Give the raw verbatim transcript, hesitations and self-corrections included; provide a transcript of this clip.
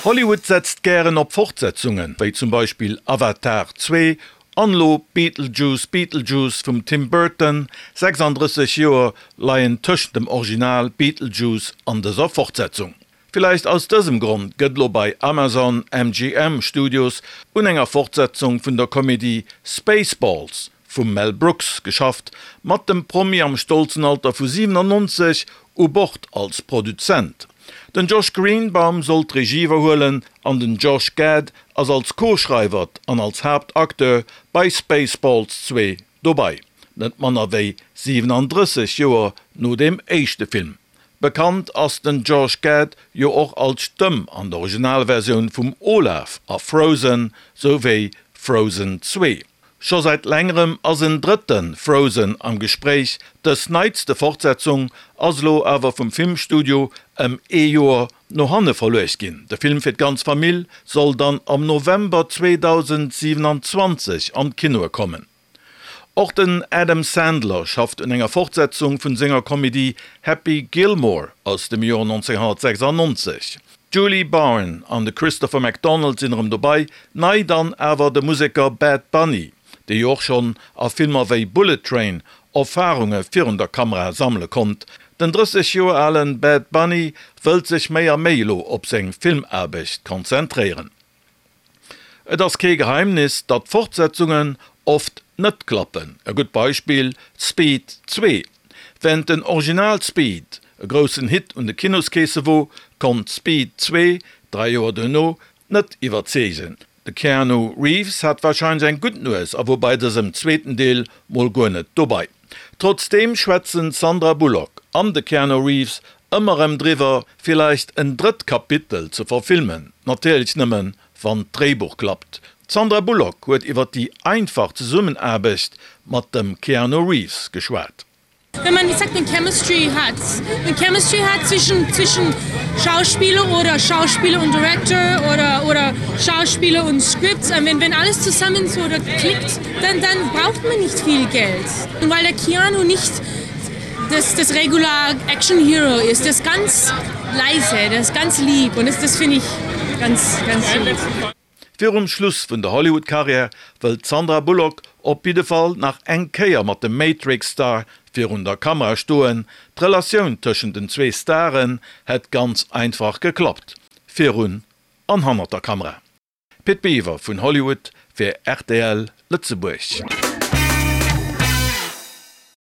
Hollywood setzt gären op Fortsetzungen, wéi zum Beispill Avatar zwee an elo Beetlejuice Beetlejuice vum Tim Burton, sechsanddrësseg Joer leien tëschent dem Original Beetlejuice an dëser Fortsetzung. Villäicht aus dësem Grond gëtt elo bei Amazon M G M Studios un enger Fortsetzung vun der Komedie Spaceballs vum Mel Brooks geschafft, mat dem Promi am stolzen Alter vu siwenannonzeg u Bord als Produzent. Den Josh Greenbaum soll d'Regie iwwerhuelen an den Josh Gad ass als Co-Schreiwer an als Haaptacteur bei Spaceballs zwee dobei, net manner wéi siwenandrësseg Joer no deem éischte Film. Bekannt ass den Josh Gad jo och als Stëmm an der Originalversioun vum Olaf a Frozen souwéi Frozen zwee. Scho säit längerem ass en drëtte Frozen am Gespréich, dës neitste Fortsetzung ass elo awer vum Filmstudio ëm ee Joer no hanne verluecht ginn. De Film fir d'ganz Famill soll dann am November zweedausendsiwenanzwanzeg an d'Kinoe kommen. Och den Adam Sandler schafft un enger Fortsetzung vun senger Komedie Happy Gilmore aus dem Joer nonzénghonnertsechsannonzeg. D'Julie Bowen an de Christopher McDonald sinn erëm dobei, nei dann awer de Museker Bad Bunny, dee jo och schonn a Filmer wéi Bullet Train Erfarunge virun der Kamera sammele konnt. Den drësseg Joer alen Bad Bunny wëllt sech méi a méi elo op seng Filmaarbecht konzentréieren. Et ass kee Geheimnis, datt Fortsetzungen oft net klappen. E gutt Beispill, Speed zwee. Wärend den Original Speed e groussen Hit un de Kinoskeesse wor, konnt Speed zwee dräi Joer duerno net iwwerzeegen. De Keanu Reeves hat warscheinlech eng gutt Nues a wor bei dësem zweeten Deel mol guer net dobei. Trotzdeem schwätzen d'Sandra Bullock an de Keanu Reeves ëmmer erëm driwwer, villäicht en drëtt Kapitel ze verfilmen, natierlech nëmmen, wann d'Dréibuch klappt. D'Sandra Bullock huet iwwer déi einfach Zesummenaarbecht mat dem Keanu Reeves geschwat. Wenn man, ich sag, eine Chemistry hat, eine Chemistry hat zwischen, zwischen Schauspieler oder Schauspieler und Director oder, oder Schauspieler und Scripts, wenn, wenn alles zusammen so klickt, dann, dann braucht man nicht viel Geld. Und weil der Keanu nicht das, das regular Action Hero ist, der ist ganz leise, der ist ganz lieb und das, das finde ich ganz, ganz lieb. Virum Schluss vun der Hollywood-Karriär wëllt d'Sandra Bullock op jidde Fall nach eng Kéier mat dem Matrix-Star virun der Kamera stoen. D'Relatioun tëschent den zwee Staren hätt ganz einfach geklappt, virun an hannert der Kamera. Pit Biwer vun Hollywood fir R T L Lëtzebuerg.